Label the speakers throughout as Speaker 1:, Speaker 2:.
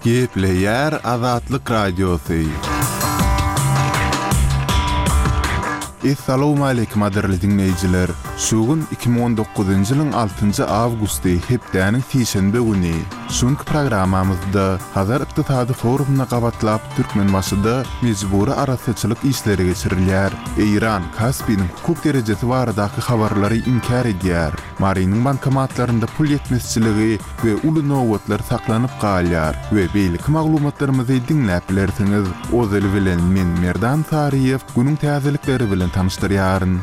Speaker 1: Gepleýär Azatlyk Radiosy. Essalawmaleýkim gadyrly diňleýjiler! Şu gün 2019-njy ýylyň altynjy awgusty, hepdäniň sişenbe güni. Şu günki programmamyzda Hazar ykdysady forumyna gabatlap Türkmenbaşyda mejbury arassaçylyk işleri geçirilýär. Eýran Kaspiniň hukuk derejesi baradaky habarlary inkär edýär. Marynyň bankomatlarynda pul ýetmezçiligi we uly nobatlar saklanyp galýar we beýleki maglumatlarymyzy diňläp bilersiňiz. Ozaly bilen men Merdan Saryýew günüň täzelikleri bilen tanyşdyrýaryn.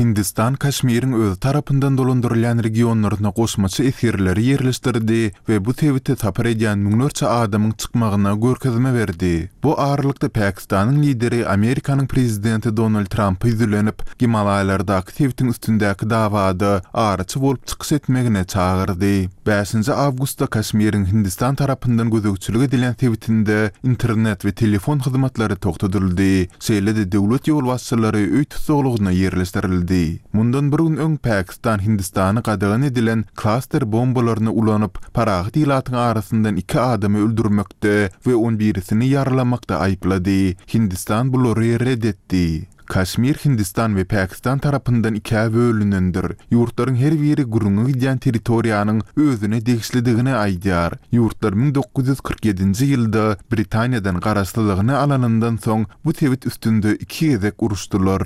Speaker 1: Hindistan Kaşmiriň özi tarapyndan dolandyrylýan regionlaryna goşmaça esgerleri ýerleşdirdi we bu sebite sapar edýän müňlerçe adamyň çykmagyna görkezme berdi. Bu aralykda Pakistanyň lideri Amerikanyň prezidenti Donald Trampa ýüzlenip, Gimalaýlardaky sebitiň üstündäki dawada araçy bolup çykyş etmegine çagyrdy. Bäşinji awgustda Kaşmiriň Hindistan tarapyndan gözegçilik edilýän sebitinde internet we telefon hyzmatlary togtadyldy. Şeýle-de döwlet ýolbaşçylary öý tussaglygyna ýerleşdirildi. Mundan bir gün öň Pakistan Hindistany gadagan edilen klaster bombalaryny ulanyp, parahat ilatyň arasyndan iki adamy öldürmekde we on birisini ýaralamakda aýyplady. Hindistan bulary ret etdi. Kaşmir Hindistan we Pakistan tarapyndan ikä bölünendir. Ýurtlaryň her biri gürrüňi gidýän territoriýanyň özüne degişlidigini aýdýar. Ýurtlar 1947-nji ýylda Britaniýadan garaşsyzlygyny alanyndan soň bu sebit üstünde iki gezek uruşdylar.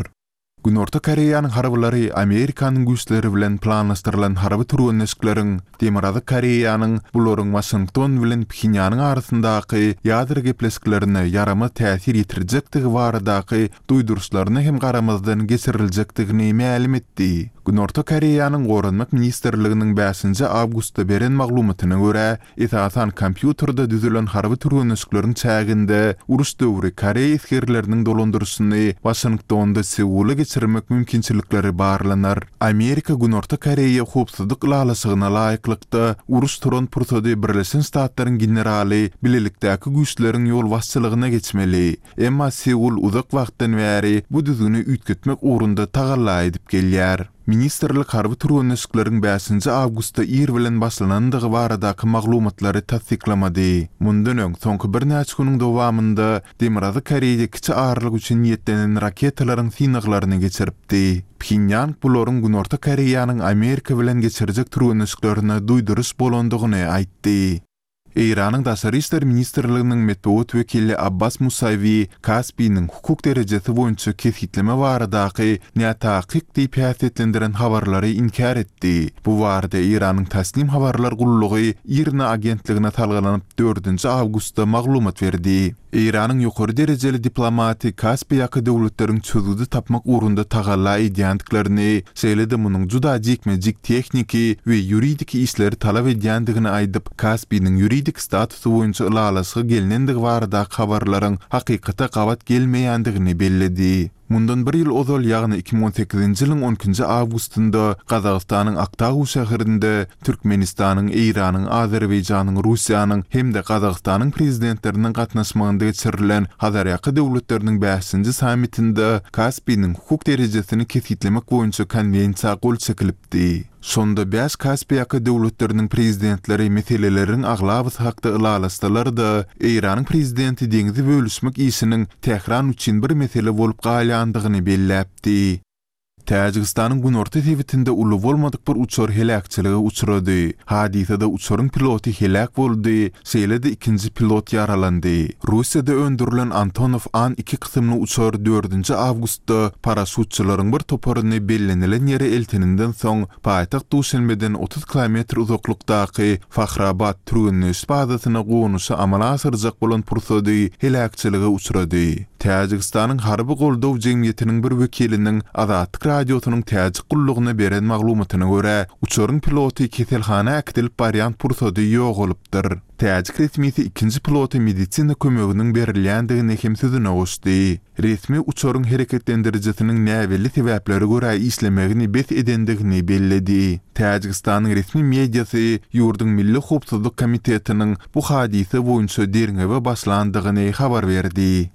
Speaker 1: Günorta Koreýanyň harbylary Amerikanyň güýçleri bilen planlaşdyrylan harby türgenleşikleriň Demirgazyk Koreýanyň bularyň Waşington bilen Phenýanyň arasyndaky ýadro gepleşiklerine ýaramaz täsir ýetirjekdigi baradaky duýduryşlaryna hem garamazdan geçiriljekdigini mälim etdi. Günorta Koreýanyň Goranmak ministrliginiň bäşinji awgustda beren maglumatyna görä, esasan kompýuterde düzülen harby türgenleşikleriň çäginde uruş döwri koreý esgerleriniň dolandyryşyny Waşingtonda Seula geçirmek mümkinçilikleri barlanar. Amerika Günorta Koreýa howpsuzlyk ylalaşygyna laýyklykda, uruş turan pursady Birleşen Ştatlaryň generaly bilelikdäki güýçleriň ýolbaşçylygyna geçmeli. Emma Seul uzak wagtdan bäri bu düzgüni üýtgetmek ugrunda tagalla edip gelýär. Ministrlik harby türgenleşikleriň bäşinji awgustda ir bilen başlanandygy baradaky maglumatlary tassyklamady. Mundan öň, soňky birnäçe günüň dowamynda Demirgazyk Koreýa kiçi aralyk üçin niýetlenen raketalaryň synaglaryny geçiripdi. Phenýang bularyň Günorta Koreýanyň Amerika bilen geçirjek türgenleşiklerine duýduryş bolandygyny aýtdy. Eýranyň Daşary işler ministrliginiň metbugat wekili Abbas Musawi Kaspiniň hukuk derejesi boýunça kesgitleme baradaky nätakyk diýip häsiýetlendiren habarlary inkär etdi. Bu barada Eýranyň Tasnim habarlar gullugy IRNA agentligine salgylanyp dördünji awgustda maglumat berdi. Eýranyň ýokary derejeli diplomaty Kaspiýaka döwletleriň çözgüdi tapmak ugrunda tagalla edýändiklerini, şeýle-de munuň juda jikme-jik tehniki we ýuridiki işleri talap edýändigini aýdyp, Kaspiniň ýuridik statusy boýunça ylalaşyga gelnendigi baradaky habarlaryň hakykata gabat gelmeýändigini belledi. Mundan bir ýyl ozal, ýagny 2018-nji ýylyň on ikinji awgustynda Gazagystanyň Aktau şäherinde Türkmenistanyň, Eýranyň, Azerbaýjanyň, Russiýanyň hem-de Gazagystanyň Prezidentleriniň gatnaşmagynda geçirilen Hazarýaka döwletleriniň bäşinji sammitinde Kaspiniň hukuk derejesini kesgitlemek boýunça Konwensiýa gol çekilipdi. Şonda bäş Kaspiýaka döwletleriniň prezidentleri meseleleriň aglabasy hakda ylalaşsalar-da, Eýranyň prezidenti deňzi bölüşmek işiniň Tähran üçin bir mesele bolup galýandygyny belläpdi. Täjigistanyň günorta sebitinde uly bolmadyk bir uçar heläkçilige uçrady. Hadysada uçaryň piloty heläk boldy, şeýle-de ikinji pilot ýaralandy. Russiýada öndürilen Antonow An-2 kysymly uçar dördünji awgustda paraşýutçylaryň bir toparyny bellenilen ýere elteninden soň, paýtagt Duşenbeden 30 kilometr uzaklykdaky Fahrabat türgenleşiş bazasyna gonuşy amala aşyrjak bolan pursady heläkçilige uçrady. Täjigistanyň Harby goldaw jemgyýetiniň bir wekiliniň Azatlyk Radiosynyň Täjik gullugyna beren maglumatyna görä, uçaryň piloty keselhana äkidilip barýan pursady ýogalypdyr. Täjik resmisi ikinji pilota medisina kömeginiň berilýändigini hem sözüne goşdy. Resmi uçaryň hereketlendirijisiniň näbelli sebäplere görä işlemegini bes edendigini belledi. Täjigistanyň resmi mediasy ýurduň Milli howpsuzlyk komitetiniň bu hadysa boýunça derňewe başlandygyny habar berdi.